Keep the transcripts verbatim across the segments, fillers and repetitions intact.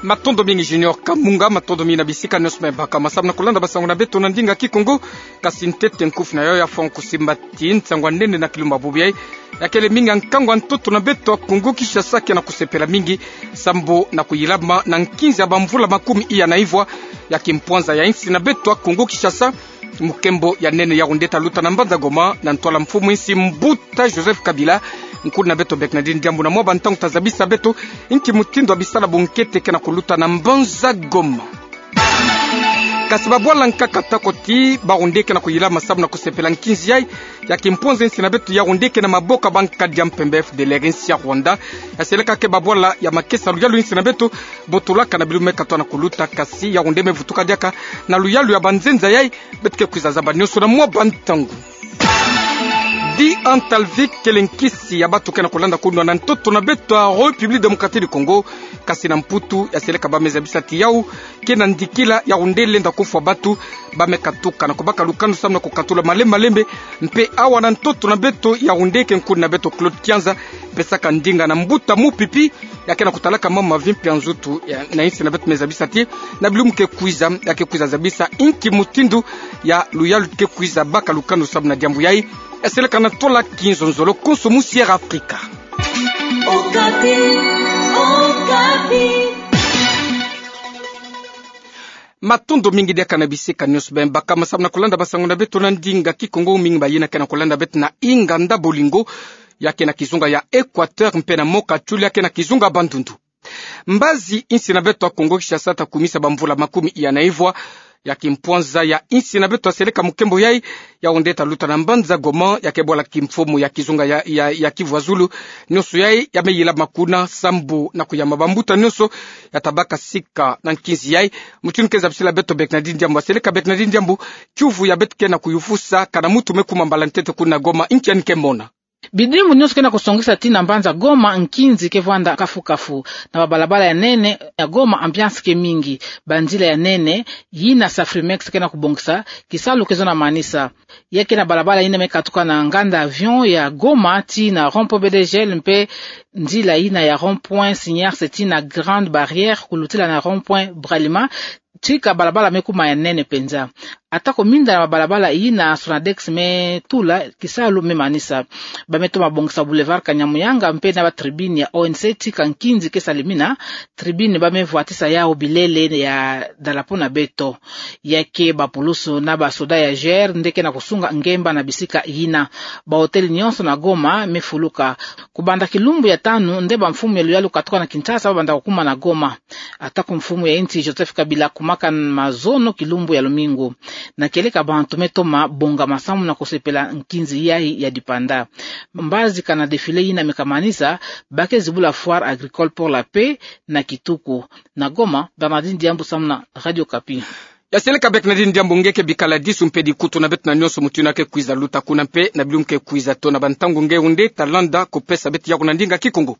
Matondo mingi Junior Kamunga, matondo mingi na bisika nionso me baka masambu na kulanda basango na beto na ndinga Kikongo. Kasi ntete nkufi na yo ya fo kusimbati nsangu a nene na kilumbu bubu yai. Ya kele mingi nkangu a ntoto na beto a Kongo Kinshasa ke na kusepela mingi, sambu na kuyilama na nkinzi ya bamvula makumi iya na ivwa ya kimpwanza ya insi na beto a Kongo Kinshasa, mukembo ya nene yau nde ta luta na mbanza Goma, na ntwala mfumu insi mbuta Joseph Kabila. Nkulu na beto Bernardine Diambu na mwa bantangu ta zabisa beto inki mutindu ya bisala bunkete ke na kuluta na mbanza Goma. Kasi babwala nkaka ta koti, bau nde ke na kuyilama sambu na kusepela nkinzi yai ya kimpwanza insi na beto, yau nde ke na maboko ya bankadi ya mpemba F D L R insi ya Rwanda. Ya seleka ke babwala ya makesa luyalu insi na beto, botulaka na bilumbu me katwa na kuluta, kasi yau nde me vutuka diaka na luyalu ya banzenza yai, beto ke kwiza zaba nionso na mwa bantangu. Di Antalvic kele nkisi ya batu ke na kulanda kunwa na ntoto na beto a République Démocratique du Congo, kasi na Mputu ya seleka ba me zabisa ti yau ke na ndikila, yau nde lenda kufwa batu ba me katuka na kubaka lukanu sambu na kukatula malembe malembe. Mpe awa na ntoto na beto, yau nde ke nkulu na beto Claude Kianza pesaka ndinga na mbuta Mupipi ya ke na kutalaka mambu ma vie mpe ya nzutu ya, na insi na beto me zabisa ti na bilumbu ke kwiza, ya ke kwiza zabisa inki mutindu ya luyalu ke kwiza baka lukanu sambu na diambu yai. Ya seleka na tola kinzonzolo konso mu Sierra Africa. Okapi, Okapi. Matondo mingi diaka na bisika nionso beno baka masambu na kulanda basango na beto na ndinga Kikongo. Mingi bayina ke na kulanda beto na inganda Bolingo, ya ke na kizunga ya Equateur, mpe na Mokatshuli, ya ke na kizunga Bandundu. Mbazi insi na beto a Kongo Kinshasa ta kumisa bamvula makumi iya na ivwa ya kimpwanza ya insi na beto ya seleka mukembo yai, yau nde ta luta na mbanza Goma, ya ke bwala kimfumu ya kizunga ya, ya, ya Kivu ya Zulu. Nionso yai ya me yilama kuna sambu na kuyamba bambuta nionso ya ta baka sika na nkinzi yai. Mutindu ke zabisila beto Bernardine Diambu, ya seleka Bernardine Diambu, kiuvu ya beto ke na kuyuvusa, kana muntu me kuma mbala ntete kuna Goma, inki yandi ke mona? Bidimbu nionso ke na kusongisa ti na mbanza Goma nkinzi ke vwanda kafu kafu. Na babalabala ya nene ya Goma, ambiance ke mingi. Banzila ya nene yina Safrimex ke na kubongisa, kisalu ke zo na manisa. Ya ke na balabala yina me katuka na nganda avion ya Goma tii na rond-point B D G L, mpe nzila yina ya rond-point Signars tii na Grande Barrière, kulutila na rond-point Bralima, tika balabala me kuma ya nene penza. Atako minda na babalabala yina Sonadex me tula, kisalu me manisa. Ba me toma bongisa Boulevard Kanyamuyanga mpe na ba tribune ya O N C, tika nkinzi ke salimina. Tribune ba me vwatisa yau bilele ya dalapo na beto. Ya ke bapulusu na basoda ya G R nde ke na kusunga ngemba na bisika yina. Ba hôtel nionso na Goma me fuluka. Kubanda kilumbu ya tanu nde bamfumu ya luyalu katuka na Kinshasa ba banda kukuma na Goma. Atako mfumu ya insi Joseph Kabila akumaka mazono kilumbu ya lumingu. Na kieleka bantu me toma bonga masambu na kusepela nkinzi yai ya dipanda. Mbazi kana défilé yina me kamanisa, ba ke zibula Foire Agricole pour la Paix na kituku. Na Goma, Bernardine Diambu samu na Radio Okapi. Ya seleka Bernardine Diambu, nge ke bikala disu mpe dikutu na beto na nionso mutindu ke kwiza luta kuna mpe na bilumbu ke kwiza tona, bantangu nge wunde ta landa kupesa beto yau na ndinga Kikongo.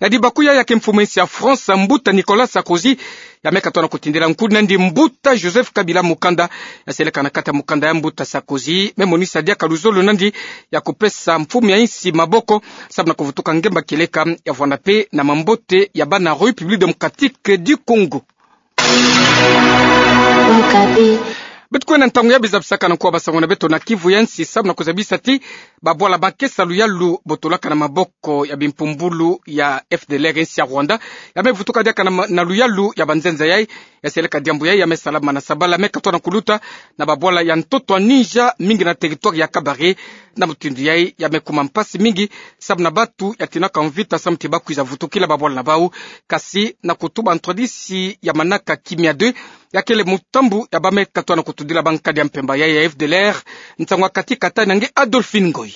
Na dibaku ya ya ke mfumu ya insi ya France, mbuta Nicolas Sarkozy, ya me katoa na kutindela nkulu nandi mbuta Joseph Kabila mukanda. Ya seleka na kati ya mukanda ya mbuta Sarkozy, me monisa diaka luzolo nandi ya kupesa mfumu ya insi maboko, samu na kuvutuka ngemba kieleka, ya vwanda mpe na mambote ya bana République Démocratique du Congo. Okapi. Beto kwenda ntangu ya bizabisaka na nkwa basango na beto na Kivu ya nsi, samu na kuzabisa ti babwala makesa luyalu botolaka na maboko ya bimpumbulu ya F D L R ya insi ya Rwanda, ya me vutuka diaka na ma-, na luyalu ya banzenza yai. Ya seleka diambu yai ya me salama na sabala me katoa na kuluta na babwala ya ntoto ya Niger, mingi na territoire ya Kabare. Na mutindu yai ya me kuma mpasi mingi, samu na bantu ya tinaka mvita samu ti ba kwiza vutukila babwala na bau. Kasi na kutuba ntwadisi ya manaka kimia deux, ya kele mutambu ya ba me katoa na kutudila bankadi ya mpemba yai ya F D L R. Nsangu ya kati kata na nge Adolphine Ngoy.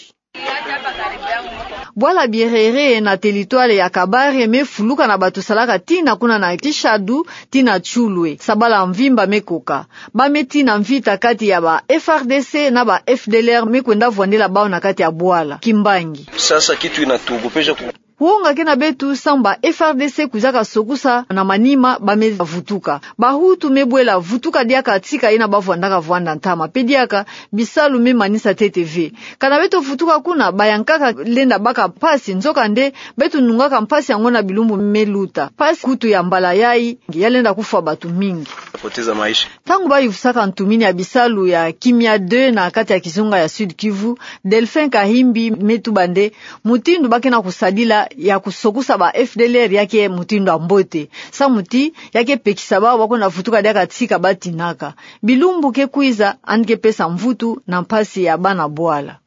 Bwala Bierere na territoire ya Kabare me fuluka na bato salaka tii na kuna na Kishadu, tii na Tshulwe. Sabala mvimba me koka. Ba me tii na mvita kati ya ba F R D C na ba F D L R me kwenda vwandela bau na kati ya bwala Kimbangi. Sasa kitu inatuogopesha ku- Wonga ke na beto samu ba F R D C kwizaka sokusa na manima ba me vutuka. Bahutu me bwela vutuka diaka tika yina bavwandaka vwanda ntama. Pe diaka bisalu me manisa ntete ve. Kana beto vutuka kuna, bayankaka lenda baka mpasi, nzokande beto nungaka mpasi yango na bilumbu me luta. Mpasi kutu ya mbala yayi ya lenda kufwa bato mingi. Ntangu bayuvusaka ntumini ya bisalu ya Kimia deux na kati ya kizunga ya Sud-Kivu, Delphin Kahimbi me tuba nde mutindu ba ke na kusadila ya kusokusa ba F D L R ya ke mutindu ya mbote. Samu ti ya ke pekisa bawu ba kwenda vutuka diaka tika batinaka. Bilumbu ke kwiza yandi ke pesa mvutu na mpasi ya bana bwala.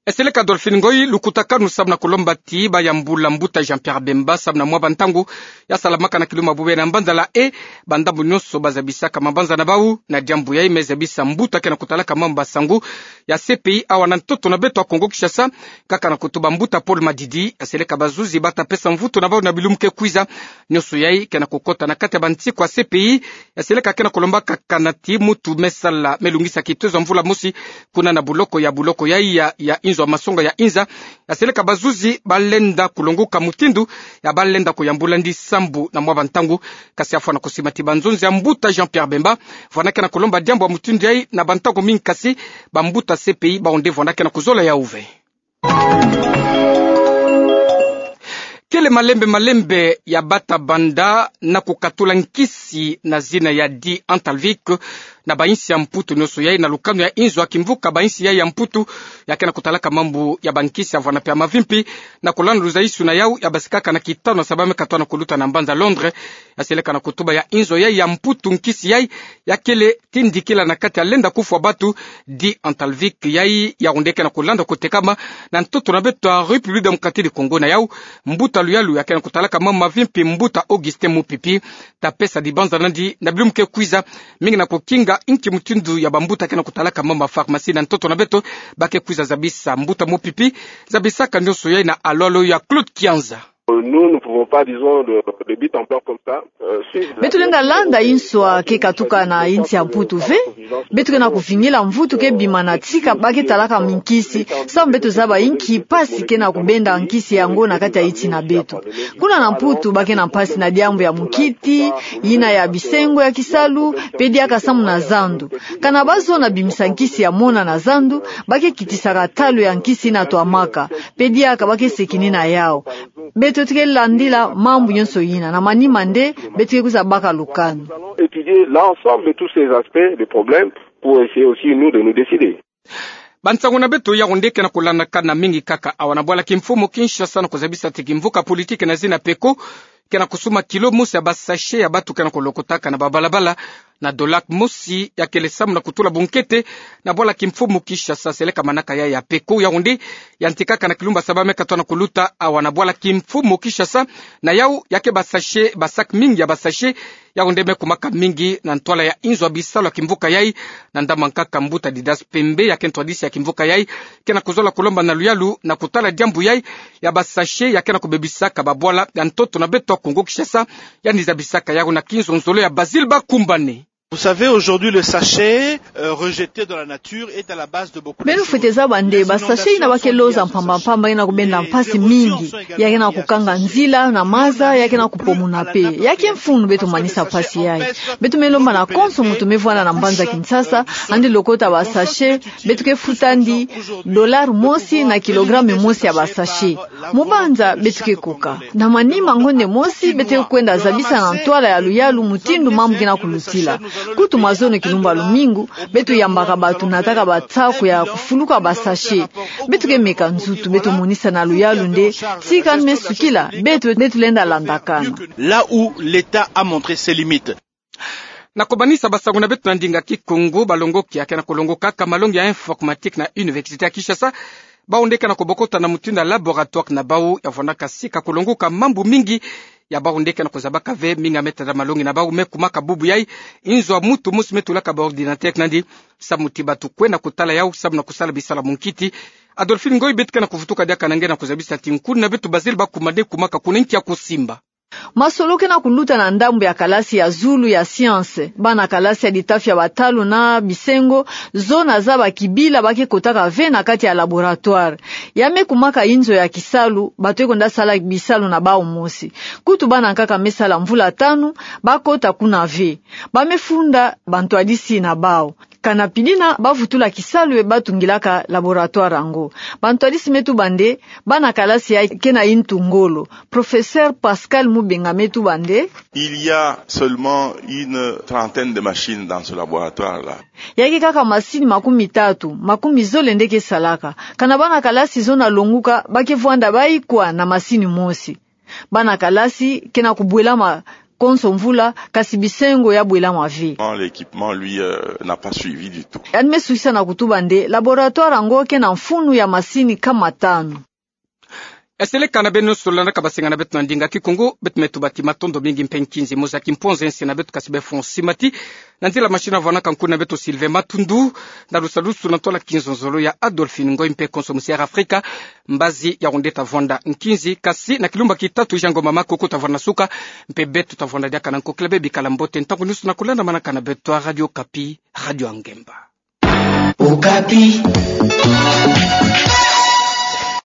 Eseleka Dolphine Ngoyi, lukutakanu samu na kulomba ti bayambula mbuta Jean-Pierre Bemba samu na mwa bantangu ya salamaka na kiluma bubena mbanzala e bandambu nyonso bazabisaka mabanza na bawu na diambu yayi me zabisa mbuta ke na kutalaka mambu masangu ya C P I awa na ntoto na beto ya Kongo Kinshasa, kaka na kutuba mbuta Paul Madidi. Eseleka bazuzi bata pesa mvutu na bawu na bilumbu ke kwiza. Nyonso yayi ke na kukota na kati ya bantiku ya C P I. Eseleka ke na kulombaka kana ti mutu me sala, me lungisa kitezo ya mvula mosi kuna na buloko ya, buloko yayi ya, ya inzo ya masonga ya Inza. Eseleka bazuzi balenda kulonguka mutindu ya balenda kuyambula ndi sambu na mwa bantangu. Kasi afwana kusima ti banzonzi ya mbuta Jean-Pierre Bemba vwana ke na kulomba diambu ya mutindu yayi na bantangu mingi, kasi bambuta C P I bawu nde vwana ke na kuzola yawu ve. Kele malembe malembe ya bata banda na kukatula nkisi na zina ya di-Antalvic na bainsi ya Mputu nyonso yayi na lukanu ya inzo ya kimvuka bainsi yayi ya Mputu ya ke na kutalaka mambu ya bankisi ya vwana pe ya mavimpi, na kulanda luzaisu na yawu ya basikaka na kitano na sabala me katwa na kuluta na mbanza Londres. Eseleka na kutuba ya inzo yayi ya Mputu, nkisi yayi ya kele tindikila na kati ya lenda kufwa bato, di-Antalvic, yayi ya wunde ke na kulanda kutekama na ntoto na beto ya République Démocratique du Congo. Na yawu, mbuta luyalu ya ke na kutalaka mambu mavimpi, mbuta Augustin Mupipi, ta pesa dibanza na ndi na bilumbu ke kwiza, mingi na kukinga inki mutindu ya bambuta ke na kutalaka mambu ma pharmacie na ntoto na beto. Ba ke kwiza zabisa. Mbuta Mupipi zabisaka nyonso yayi na alolo ya Claude Kianza. Nous ne pouvons pas, disons, de, de but en blanc comme ça, euh, suivre la... Beto lenda landa inso ke katuka na insi ya Mputu ve. Beto ke na kuvingila mvutu ke bima na tika ba ke talaka nkisi, samu beto zaba inki mpasi ke na kubenda nkisi yango na kati ya insi na beto. Kuna na Mputu ba ke na mpasi na diambu ya mukiti, yina ya bisengo ya kisalu, pe diaka samu na zandu. Kana bazono bimisa nkisi ya mona na zandu, ba ke kitisaka talo ya nkisi yina twamaka, pe diaka ba ke sekini na yawu. Beto tuke landila mambu nyonso yina, na manima nde beto ke kwiza baka lukanu. Étudier l'ensemble de tous ces aspects, des problèmes, pour essayer aussi, nous, de nous décider. Bansangu na beto ya wunde ke na kulandakana mingi kaka awa na bwala kimfumu Kinshasa na kuzabisa ti kimvuka politique na zina Peko ke na kusumba kilo mosi ya ba sachet ya bato ke na kulokotaka na babalabala na dollar mosi, ya kele samu na kutula bunkete na bwala kimfumu Kinshasa. Seleka manaka ya, ya Peko ya wunde yantikaka na kilumbu ya sabala me katwa na kuluta awa na bwala kimfumu Kinshasa. Na yawu ya ke ba sachet, ba sac mingi ya ba sachet ya wunde me kumaka mingi na ntwala ya inzo ya bisalu ya kimvuka yayi. Na ndambu nkaka mbuta Didas Pembe ya ke ntwadisi ya kimvuka yayi ke na kuzola kulomba na luyalu na kutala diambu yayi ya ba sachet ya ke na kubebisaka babwala ya ntoto na beto ya Kongo Kinshasa. Yandi zabisaka yawu na kinzonzolo ya Basile Bakumbane. Vous savez, aujourd'hui, le sachet, euh, rejeté dans la nature est à la base de beaucoup de choses. Beno fwete zaba nde ba sachet yina ba ke loza mpamba mpamba yina kubenda mpasi mingi. Ya ke na kukanga nzila na maza, ya ke na kupomona pe. Ya ke mfunu beto manisa mpasi yayi. Beto me lomba na konso mutu me vwanda na mbanza Kinshasa, yandi lokota ba sachet, beto ke futa yandi dollar mosi na kilogramme mosi ya ba sachet. Mu banza beto ke koka. Na manima ngonde mosi beto ke kwenda zabisa na ntwala ya luyalu mutindu mambu ke na kulutila. Kutu mazono kilumbu ya lumingu, beto yambaka bato nataka batsako ya kufuluka ba sachet. Beto ke meka nzutu, beto monisa na luyalu nde tika yandi me sukila, beto, beto lenda landakana. Là où l'État a montré ses limites. Na kumanisa basangu na beto na ndinga Kikongo, balongoki ya ke na kulongokaka malongi ya informatique na Université ya Kinshasa, bawu nde ke na kubokota na mutindu ya laboratoire na bawu ya vwandaka sika kulongoka mambu mingi ya bawu nde ke na kuzabaka ve mingi ya me tada malongi na bawu me kumaka bubu yayi. Inzo ya mutu mosi me tulaka ba ordinateur na yandi, samu ti bato kwenda kutala yawu samu na kusala bisalu ya munkiti. Adolphine Ngoyi, beto ke na kuvutuka diaka na nge na kuzabisa ti nkuna na beto Basile Bakumbane kumaka kuna, nki ya kusimba? Masolo ke na kuluta na ndambu ya kalasi ya zulu ya science. Bana kalasi ya litafi ya batalu na bisengo, zona za bakibila ba ke kotaka ve na kati ya laboratoire. Ya me kumaka inzo ya kisalu, bato ke kwenda sala bisalu na bawu mosi. Kutu bana nkaka me sala mvula tanu, ba kota kuna ve. Ba me funda bantwadisi na bawu. Kana pidina ba vutula kisalu e ba tungilaka laboratoire yango. Bantwadisi me tuba nde, bana kalasi ya ke na yintu ngolo. Professeur Pascal Mubenga me tuba nde, il y a seulement une trentaine de machines dans ce laboratoire-là. Ya ke kaka masini makumi tatu, makumi zole nde ke salaka. Kana bana kalasi zona longuka, ba ke vwanda bayi kwa na masini mosi. Bana kalasi ke na kubwelama konso mvula, kasi bisengo ya bwelama ve. L'équipement, lui, euh, n'a pas suivi du tout. Yandi me sukisa na kutuba nde, laboratoire yango ke na mfunu ya masini kama tanu. Eseleka na beno, solola na ka basenga na beto na ndinga Kikongo, beto me tuba ti matondo mingi mpe nkinzi mosi ya kimponze nsi na beto kasi befo nsi mati. Na nzila machine avwanaka nkundi na beto Sylvain Matundu, na lusalusu na ntwala kinzonzolo ya Adolphine Ngoy mpe konso musi Air Africa, mbazi ya ronde ta vwanda nkinzi, kasi na kilumba ki tatu Jean Ngoma Makoko ta vwanda na suka, mpe beto ta vwanda diaka na nkokila be bikala mbote ntangu nyonso na kulandamanaka na beto a Radio Okapi, Radio ya Ngemba. Okapi.